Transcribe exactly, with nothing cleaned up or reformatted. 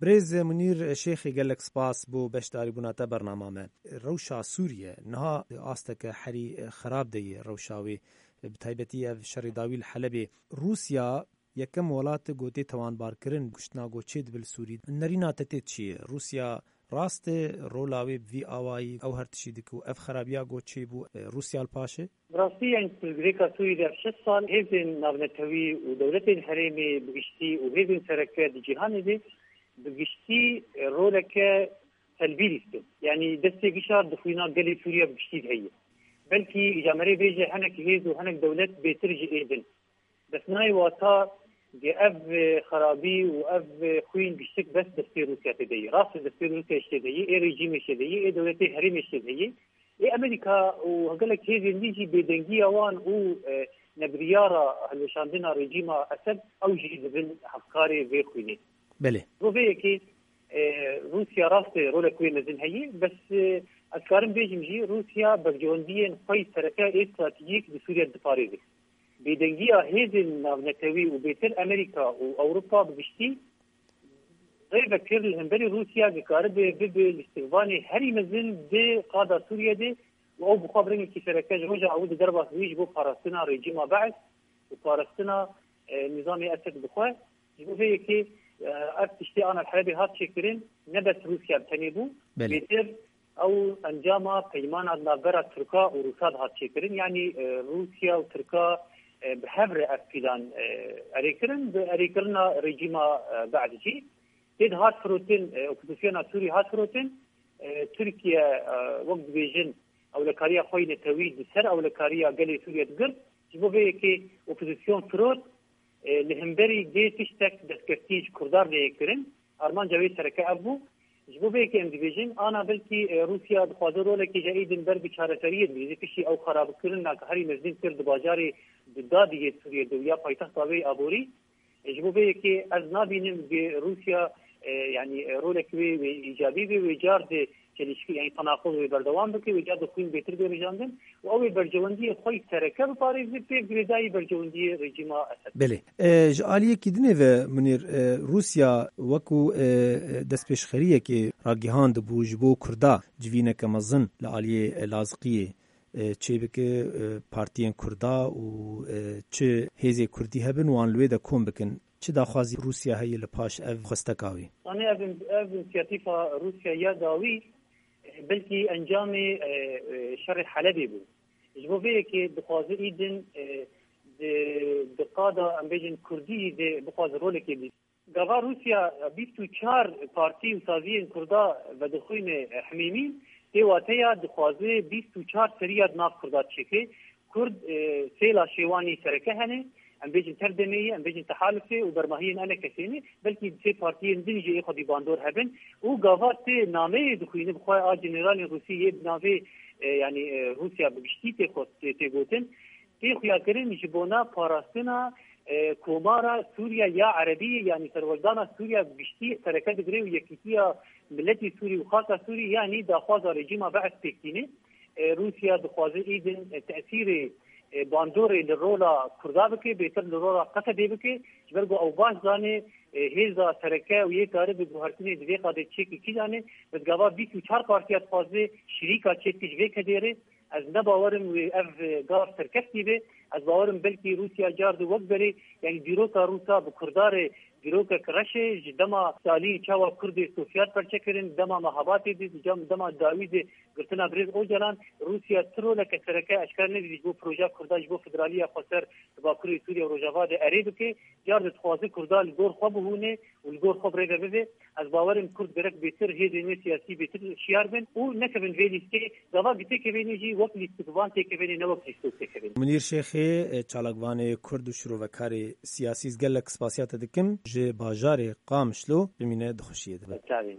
Birêz Munîr Şêxê, gelek spas bo beşdarîbûna te bernama me. Rewşa Sûriye niha asteke herî xerab de ye rewşa wê, bi taybetî ev şerê dawî li Helebê. Rûsya yekem welat e ku tê tewanbarkirin, kuştina ku çêdibe li Sûrî. Nerîna te tê çi ye? Rûsya rast e rola wê bi vî awayî ew her tiştî dike û ev xerabiya ku çêbû, e, Rûsya li paş e? Bi rastî, yanî, pirsgirêka Sûrî de şeş sal hêzên navnetewî û dewletên herêmê bi giştî û hêzên sereke di cîhanê de bi giştî, e, roleke selbî lîstin. Yanî destê gişa di xwîna gelê Sûriye bi giştî de heye. Belkî îcamerê bêje hinek hêz û hinek dewlet bêtir ji ê din. Bes nayê wata ge ev, e, xerabî û ev, e, xwîn giştik bes destê Rûsya tê de yê. Rast e, destê Rûsya jî tê de yê, ê rejîmê jî tê de yê, ê dewletê herêmê jî tê de yê. Ê Amerîka û gelek hêzên dî jî bêdengiya wan û, e, nebiryara hilweşandina rejîma Esed, ew jî dibin hevkarê vê xwînê. Belê. Bo vê yekê, e, Rûsya rast e rolek wê mezin heye, bes, e, ez karim bêjim jî Rûsya berjewendiyên xwe yî sereke ê stratejîk di Sûriye diparêze. Bêdengiya hêzên navnetewî û bêtir Amerîka û Ewropa bi giştî rê vekir li hemberî Rûsya dikaribe bibe lîstikvanê herî mezin di qada Sûriye de û ew bi xwe bi rengekî sereke ji roja ewil di derbas bûyî ji bo parastina rejîma Beis û parastina, e, nîzamê Esed bi xwe. Ji bo vê yekê, e, ev tiştê ana li Helebê hat çêkirin, ne bes Rûsya bi tenê bû, Belê. bêtir ew encama peymana navbera Tirka û Rûsa dihat çêkirin. Yanî, e, Rûsya û Tirka, e, bi hev re ev pîlan, e, erê kirin, bi erêkirina rejîma, e, Be'd jî. Tê dihat firotin, e, opozisyona Sûrî hat firotin. E, Tirkiye, e, wek dibêjin, ewlekariya xwe yî netewî di ser ewlekariya gelê Sûriye digirt. Ji bo vê yekê opozisyon firot, e, li hemberî dê tiştek destkeftî ji Kurdan re yê kirin. Armanca wê sereke ev bû. Ji bo vê yekê em dibêjin, ana belkî, e, Rûsya dixwaze rolekê ji êdin ber bi çareseriyê bigihîze piştî ew xerabkirina ku herî mezin kir di bajarê di dadî yê Sûriyê de û ya paytexta wê aborî. E, ji bo vê yekê ez nabînim ku Rûsya, e, yanî, e, rolek wê, wê îcabî bê, wê car di çelişkî, yanî tenaqul wê berdewam bike, wê car di xwîn bêtir bê rijandin û ew ê berjewendiyê xwe yî sereke biparêze, pê girêdayî berjewendiyê rejîma Esed. Belê. E, ji aliyekî dinê ve, Munîr, e, Rûsya wekû, e, e, destpêşxeriyekê ragihandibû ji bo Kurda civîneke mezin li aliyê, e, Laziqiyê, e, çêbike, e, partiyên Kurda û, e, çi hêzê Kurdî hebin, wan li wê de kom bikin. Çi daxwazî Rûsya heye li paş ev xwesteka wî? Anê ev, ev însiyatîfa Rûsya ya dawî, e, belkî encamê, e, e, şerê Helebê bû. Ji bo vê yekê dixwaze îdin, e, di, di qada, em bêjin, Kurdî de bixwaze rolekê bî. Gava Rûsya bîst û çar partî û saziyên Kurda vedixwîne himêmî, tê wateya dixwaze bîst û çar seriya di nav Kurda çêke. Kurd, e, sê laşê wan yî sereke hene, em bêjin Tev Demê ye, em bêjin Tehalifê û Bermahiyên Enekesê ne, belkî sê partiyên din jî ê xwedî bandor hebin û gava tê nameyê dixwîne bi xwe a generalên Rûsî yê bi navê, e, yanî, e, Rûsya bi giştî tê xwest, tê, tê gotin, tê xuyakirin ji bona parastina, e, Komara Sûriya ya Erebî, yanî serweldana Sûriya bi giştî sereke digire û yekîtiya miletî Sûrî û xaka Sûrî, yanî daxwaza rejîma Be'es pêk tîne. E, Rûsya dixwaze îdin, e, tesîrê, e, bandorê li rola Kurda bike, bêtir li rola Qesedê bike, ji ber ku ew baş zane, e, hêza sereke û yê karibe guhertinê di vê qadê çêkî kîjan e, bi gava bîst û çar partiya dixwaze şirîka çêbike ji vê kedê re. Ez ne bawerim wê ev, e, gar serkeftî be. Ez bawerim belkî Rûsya car di wek berê, yanî dîroka Rûsa bi Kurda re dîrokek reş e. Ji dema Stalîn çawa Kurdê Sovyet perçe kirin, dema Mehabatê de, di cam-, dema dawî de girtina birêz Ocalan, Rûsya ti roleke sereke eşkere nedî ji bo projeya Kurda, ji bo federaliya xweser di Bakurê Sûriye û Rojava de erê bike. Car di dixwaze Kurda li gor xwe bihûne û li gor xwe birêve bibe. Ez bawerim Kurd gerek bêtir hêzên wê siyasî bêtir şiyar bin û nekevin vê lîstê. Gava gi têkevênê jî wek lîstikvan têkevênê, ne wek lîstok têkevênê. Munîr Şêxê, çalakvanê Kurd û şirovekarê siyasî, ez gelek spasiya te dikim. Ji bajarê Qamişlo bimîne di xweşiyê de. Çavên.